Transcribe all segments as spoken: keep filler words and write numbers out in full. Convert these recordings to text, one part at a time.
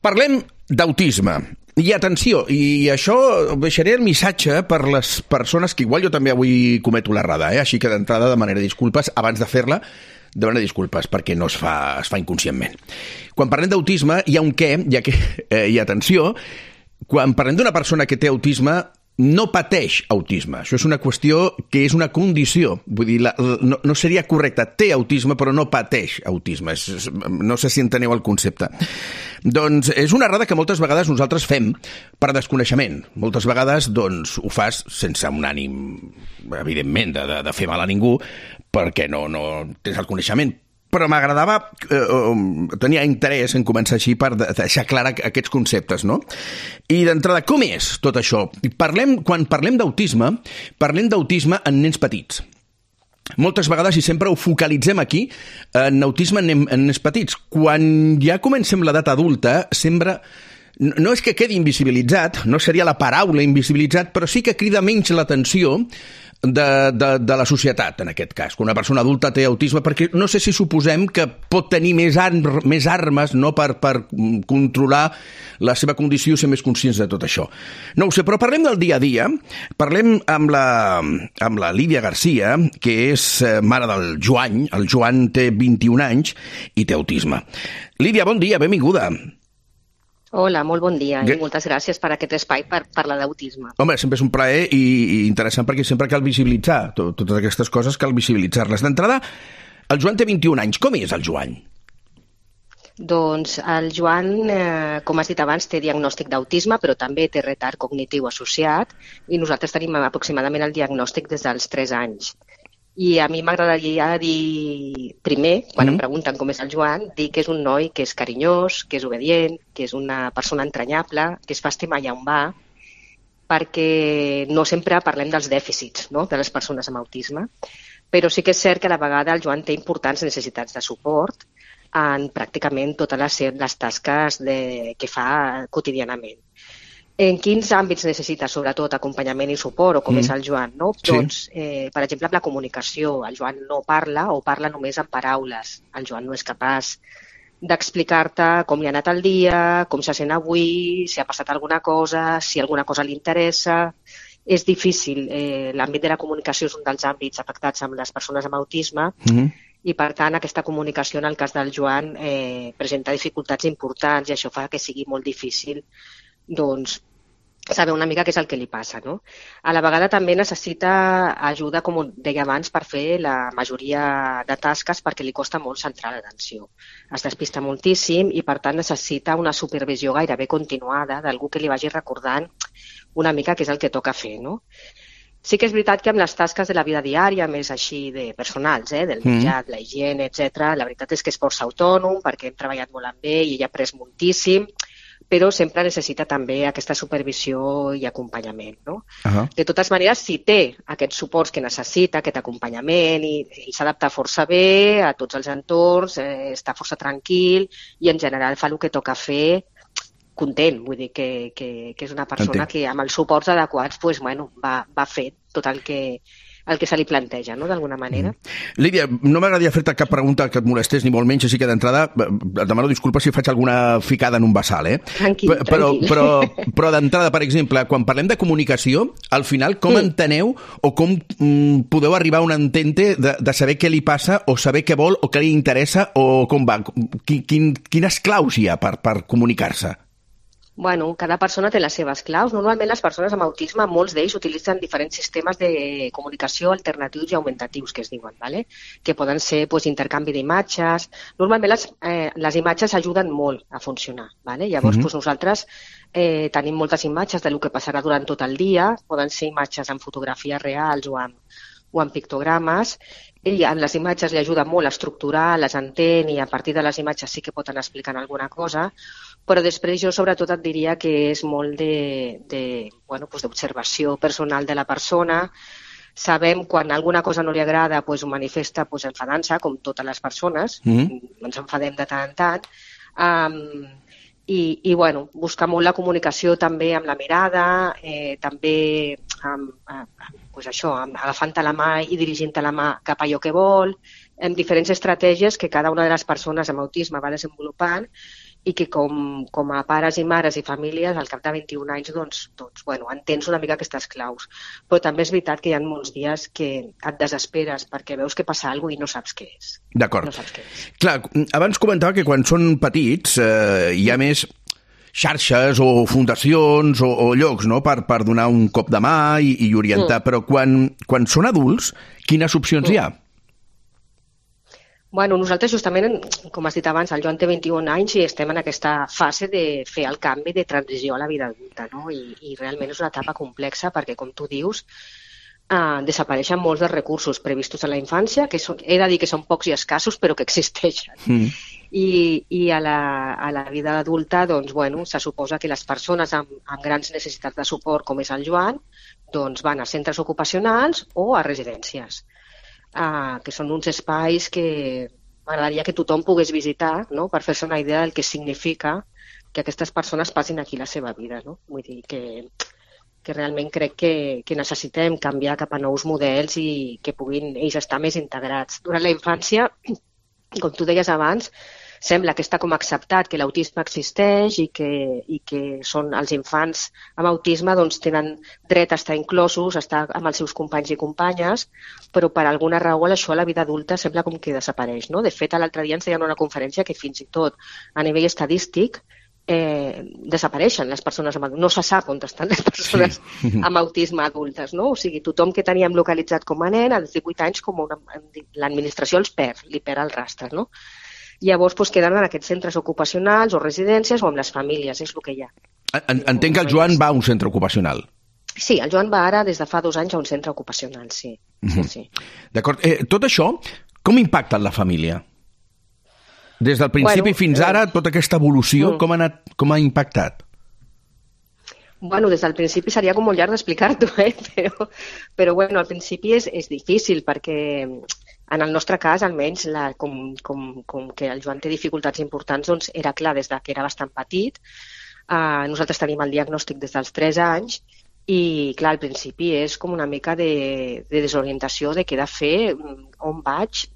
Parlem d'autisme. I atenció, i això deixaré el missatge per les persones que igual jo també avui cometo l'errada, eh? Així que d'entrada demanaria disculpes abans de fer-la, demanar disculpes perquè no es fa, es fa inconscientment. Quan parlem d'autisme hi ha un què, ja que, eh, i atenció, quan parlem d'una persona que té autisme, no pateix autisme. Això és una qüestió que és una condició. Vull dir, la, no, no seria correcte. Té autisme, però no pateix autisme. És, és, no sé si enteneu el concepte. Doncs és una errada que moltes vegades nosaltres fem per desconeixement. Moltes vegades doncs, ho fas sense un ànim, evidentment, de, de, de fer mal a ningú, perquè no, no tens el coneixement. Però m'agradava, eh, tenia interès en començar així per deixar clar aquests conceptes, no? I d'entrada, com és tot això? Parlem, quan parlem d'autisme, parlem d'autisme en nens petits. Moltes vegades, i sempre ho focalitzem aquí, en autisme en, en nens petits. Quan ja comencem l'edat adulta, sembla... No és que quedi invisibilitzat, no seria la paraula invisibilitzat, però sí que crida menys l'atenció de, de, de la societat, en aquest cas. Quan una persona adulta té autisme, perquè no sé si suposem que pot tenir més, ar més armes no, per, per controlar la seva condició i ser més conscients de tot això. No ho sé, però parlem del dia a dia. Parlem amb la, amb la Lídia Garcia, que és mare del Joan. El Joan té vint-i-un anys i té autisme. Lídia, bon dia, benvinguda. Hola, molt bon dia i moltes gràcies per aquest espai per parlar d'autisme. Home, sempre és un plaer i, i interessant perquè sempre cal visibilitzar tot, totes aquestes coses, cal visibilitzar-les. D'entrada, el Joan té vint-i-un anys. Com és el Joan? Doncs el Joan, eh, com has dit abans, té diagnòstic d'autisme, però també té retard cognitiu associat i nosaltres tenim aproximadament el diagnòstic des dels tres anys. I a mi m'agradaria dir, primer, quan mm. em pregunten com és el Joan, dir que és un noi que és carinyós, que és obedient, que és una persona entranyable, que es fa estimar allà on va, perquè no sempre parlem dels dèficits, no?, de les persones amb autisme, però sí que és cert que a la vegada el Joan té importants necessitats de suport en pràcticament totes les, les tasques de, que fa quotidianament. En quins àmbits necessita, sobretot, acompanyament i suport, o com mm. és el Joan, no? Sí. Doncs, eh, per exemple, amb la comunicació. El Joan no parla o parla només en paraules. El Joan no és capaç d'explicar-te com li ha anat el dia, com se sent avui, si ha passat alguna cosa, si alguna cosa li interessa. És difícil. Eh, l'àmbit de la comunicació és un dels àmbits afectats amb les persones amb autisme mm. i, per tant, aquesta comunicació, en el cas del Joan, eh, presenta dificultats importants i això fa que sigui molt difícil doncs, saber una mica què és el que li passa, no? A la vegada també necessita ajuda, com deia abans, per fer la majoria de tasques perquè li costa molt centrar l'atenció. Es despista moltíssim i, per tant, necessita una supervisió gairebé continuada d'algú que li vagi recordant una mica què és el que toca fer, no? Sí que és veritat que amb les tasques de la vida diària, més així de personals, eh, del menjar, mm. la higiene, etcètera, la veritat és que és força autònom perquè hem treballat molt amb ell i ell ha après moltíssim, però sempre necessita també aquesta supervisió i acompanyament, no? Uh-huh. De totes maneres, si té aquests suports que necessita, aquest acompanyament, i, i s'adapta força bé a tots els entorns, eh, està força tranquil i en general fa el que toca fer content, vull dir que, que, que és una persona Entenc. que amb els suports adequats pues, bueno, va, va fer tot el que el que se li planteja, no?, d'alguna manera. Mm. Lídia, no m'agradaria fer-te cap pregunta que et molestés, ni molt menys, així que d'entrada et demano disculpes si faig alguna ficada en un bassal, eh? Tranquil, P però, tranquil. Però, però d'entrada, per exemple, quan parlem de comunicació, al final, com mm. enteneu o com mm, podeu arribar a un entente de, de saber què li passa o saber què vol o què li interessa o com va? Quin, quin, quines claus hi ha per, per comunicar-se? Bueno, cada persona té les seves claus. Normalment les persones amb autisme, molts d'ells utilitzen diferents sistemes de comunicació alternatius i augmentatius, que es diuen, ¿vale? Que poden ser pues, intercanvi d'imatges. Normalment les, eh, les imatges ajuden molt a funcionar, ¿vale? Llavors mm-hmm. pues, nosaltres eh, tenim moltes imatges del que passarà durant tot el dia, poden ser imatges en fotografies reals o amb, o amb pictogrames. Ell en les imatges li ajuda molt a estructurar, les entén i a partir de les imatges sí que pot anar explicant alguna cosa, però després jo sobretot et diria que és molt de, de, bueno, pues d'observació personal de la persona. Sabem quan alguna cosa no li agrada pues, ho manifesta pues, enfadant-se, com totes les persones, mm-hmm. ens enfadem de tant en tant, um, i, i bueno, buscar molt la comunicació també amb la mirada, eh, també amb, amb, pues això, amb, agafant-te la mà i dirigint-te la mà cap a allò que vol, amb diferents estratègies que cada una de les persones amb autisme va desenvolupant i que com, com a pares i mares i famílies, al cap de vint-i-un anys, doncs, doncs bueno, entens una mica aquestes claus. Però també és veritat que hi ha molts dies que et desesperes perquè veus que passa alguna cosa i no saps què és. D'acord. No saps què és. Clar, abans comentava que quan són petits eh, hi ha més xarxes o fundacions o, o llocs, no?, per, per donar un cop de mà i, i orientar, mm. però quan, quan són adults, quines opcions mm. hi ha? Bueno, nosaltres justament, com has dit abans, el Joan té vint-i-un anys i estem en aquesta fase de fer el canvi de transició a la vida adulta, no? I, i realment és una etapa complexa perquè, com tu dius, eh, desapareixen molts dels recursos previstos a la infància, que són, he de dir que són pocs i escassos, però que existeixen. Mm. I, i a, la, a la vida adulta, doncs, bueno, se suposa que les persones amb, amb grans necessitats de suport, com és el Joan, doncs van a centres ocupacionals o a residències. Uh, que són uns espais que m'agradaria que tothom pogués visitar, no?, per fer-se una idea del que significa que aquestes persones passin aquí la seva vida, no? Vull dir que, que realment crec que, que necessitem canviar cap a nous models i que puguin ells estar més integrats. Durant la infància, com tu deies abans, sembla que està com acceptat que l'autisme existeix i que, i que són els infants amb autisme doncs, tenen dret a estar inclosos, a estar amb els seus companys i companyes, però per alguna raó això a la vida adulta sembla com que desapareix, no? De fet, l'altre dia ens deien una conferència que fins i tot a nivell estadístic eh, desapareixen les persones amb autisme. No se sap on estan les persones sí. amb autisme adultes, no? O sigui, tothom que teníem localitzat com a nen, als divuit anys, com una, l'administració els perd, li perd el rastre, no? Llavors doncs, queden en aquests centres ocupacionals o residències o amb les famílies, és el que hi ha. Entenc que el Joan va a un centre ocupacional. Sí, el Joan va ara des de fa dos anys a un centre ocupacional, sí. Mm-hmm. sí, sí. D'acord. Eh, tot això, com impacta en la família? Des del principi bueno, fins ara, tota aquesta evolució, mm. com, ha anat, com ha impactat? Bueno, des del principi seria com molt llarg d'explicar-t'ho, eh? però, però bueno, al principi és, és difícil perquè en el nostre cas, almenys, la, com, com, com que el Joan té dificultats importants, doncs era clar des de que era bastant petit. Uh, nosaltres tenim el diagnòstic des dels tres anys i, clar, al principi és com una mica de, de desorientació de què he de fer, on vaig,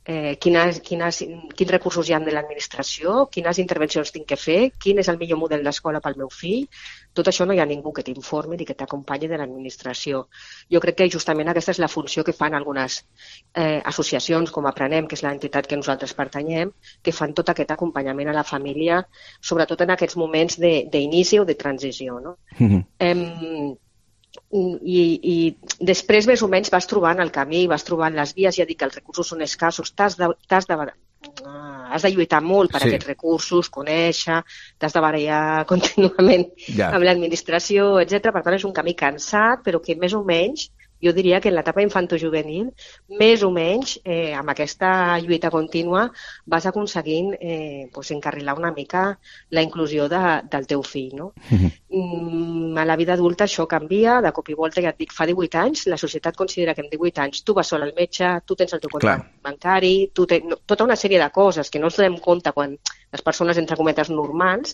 eh, quines, quines, quins recursos hi ha de l'administració, quines intervencions tinc que fer, quin és el millor model d'escola pel meu fill. Tot això no hi ha ningú que t'informi ni que t'acompanyi de l'administració. Jo crec que justament aquesta és la funció que fan algunes eh, associacions, com Aprenem, que és l'entitat que nosaltres pertanyem, que fan tot aquest acompanyament a la família, sobretot en aquests moments d'inici o de transició. No? Mm-hmm. Em, i, I després, més o menys, vas trobant el camí, vas trobant les vies, ja dic que els recursos són escassos, t'has de, t'has de has de lluitar molt per sí. aquests recursos, conèixer, t'has de barallar contínuament ja. amb l'administració, etcètera. Per tant, és un camí cansat, però que més o menys, jo diria que en l'etapa infantojuvenil, més o menys, eh, amb aquesta lluita contínua, vas aconseguint eh, pues, encarrilar una mica la inclusió de, del teu fill. No? Mm-hmm. A la vida adulta això canvia, de cop i volta, ja et dic, fa divuit anys, la societat considera que en divuit anys tu vas sol al metge, tu tens el teu compte bancari, tu tens, no, tota una sèrie de coses que no ens donem compte quan les persones, entre cometes, normals,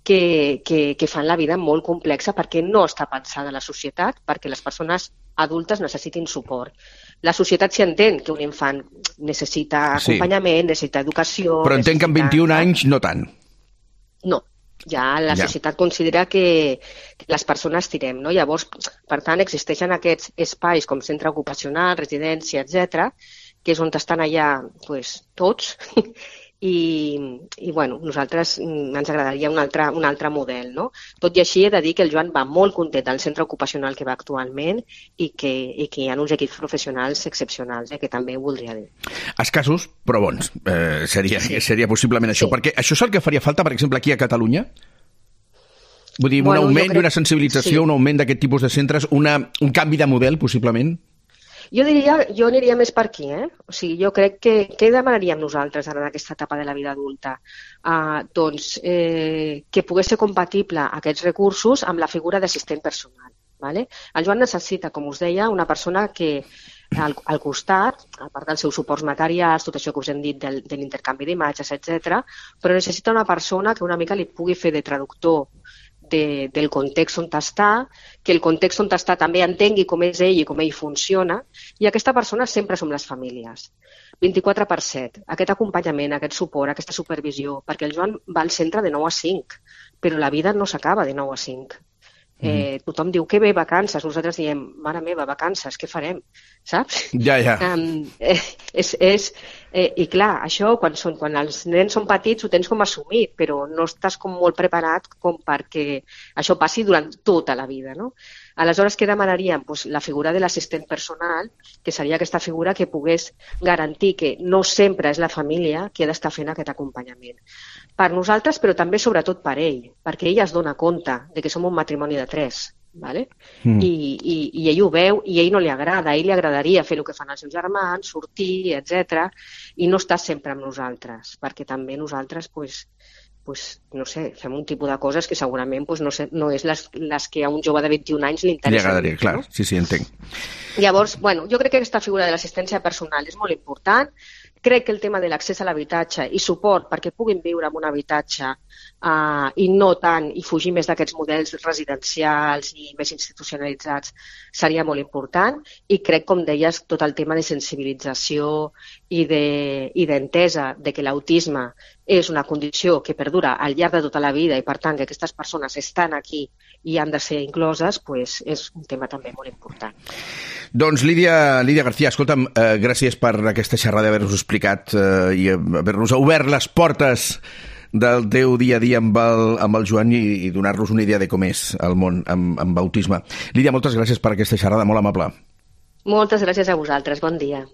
que, que, que fan la vida molt complexa perquè no està pensada la societat, perquè les persones adultes necessitin suport. La societat s'hi entén que un infant necessita acompanyament, sí. necessita educació... Però entenc necessita... que amb vint-i-un anys no tant. No, ja la ja. societat considera que les persones tirem, no? Llavors, per tant, existeixen aquests espais com centre ocupacional, residència, etcètera, que és on estan allà pues, tots, i, i bueno, nosaltres ens agradaria un altre, un altre model, no? Tot i així he de dir que el Joan va molt content del centre ocupacional que va actualment i que, i que hi ha uns equips professionals excepcionals, eh, que també ho voldria dir. Escassos, però bons. Eh, seria, sí. seria possiblement això. Sí. Perquè això és el que faria falta, per exemple, aquí a Catalunya? Vull dir, bueno, un augment crec... i una sensibilització, sí. un augment d'aquest tipus de centres, una, un canvi de model, possiblement? Jo diria, jo aniria més per aquí, eh? O sigui, jo crec que, què demanaríem nosaltres ara en aquesta etapa de la vida adulta? Uh, doncs, eh, que pogués ser compatible aquests recursos amb la figura d'assistent personal, ¿vale? El Joan necessita, com us deia, una persona que al, al costat, a part dels seus suports materials, tot això que us hem dit del, de l'intercanvi d'imatges, etcètera, però necessita una persona que una mica li pugui fer de traductor De, del context on està, que el context on està també entengui com és ell i com ell funciona, i aquesta persona sempre som les famílies. vint-i-quatre per set. Aquest acompanyament, aquest suport, aquesta supervisió, perquè el Joan va al centre de nou a cinc, però la vida no s'acaba de nou a cinc. Eh, mm. Tothom diu que bé, vacances. Nosaltres diem, mare meva, vacances, què farem? Saps? Ja, ja. Um, eh, és, és, eh, I clar, això, quan, són, quan els nens són petits, ho tens com assumit, però no estàs com molt preparat com perquè això passi durant tota la vida, no? Aleshores, què demanaríem? Pues la figura de l'assistent personal, que seria aquesta figura que pogués garantir que no sempre és la família qui ha d'estar fent aquest acompanyament. Per nosaltres, però també sobretot per ell, perquè ell es dona compte de que som un matrimoni de tres, ¿vale? Mm. I, i, i ell ho veu i a ell no li agrada, a ell li agradaria fer el que fan els seus germans, sortir, etcètera, i no està sempre amb nosaltres, perquè també nosaltres, pues, pues, no sé, fem un tipus de coses que segurament pues, no, sé, no és les, les que a un jove de vint-i-un anys li interessa. Li agradaria, clar, no? Sí, sí, entenc. Llavors, bueno, jo crec que aquesta figura de l'assistència personal és molt important. Crec que el tema de l'accés a l'habitatge i suport perquè puguin viure en un habitatge uh, i no tant, i fugir més d'aquests models residencials i més institucionalitzats seria molt important. I crec, com deies, tot el tema de sensibilització i d'entesa de, de que l'autisme és una condició que perdura al llarg de tota la vida i, per tant, que aquestes persones estan aquí i han de ser incloses, pues, és un tema també molt important. Doncs Lídia, Lídia García, escolta'm, eh, gràcies per aquesta xerrada, haver-nos explicat eh, i haver-nos obert les portes del teu dia a dia amb el, amb el Joan i, i donar-nos una idea de com és el món amb, amb autisme. Lídia, moltes gràcies per aquesta xerrada, molt amable. Moltes gràcies a vosaltres, bon dia.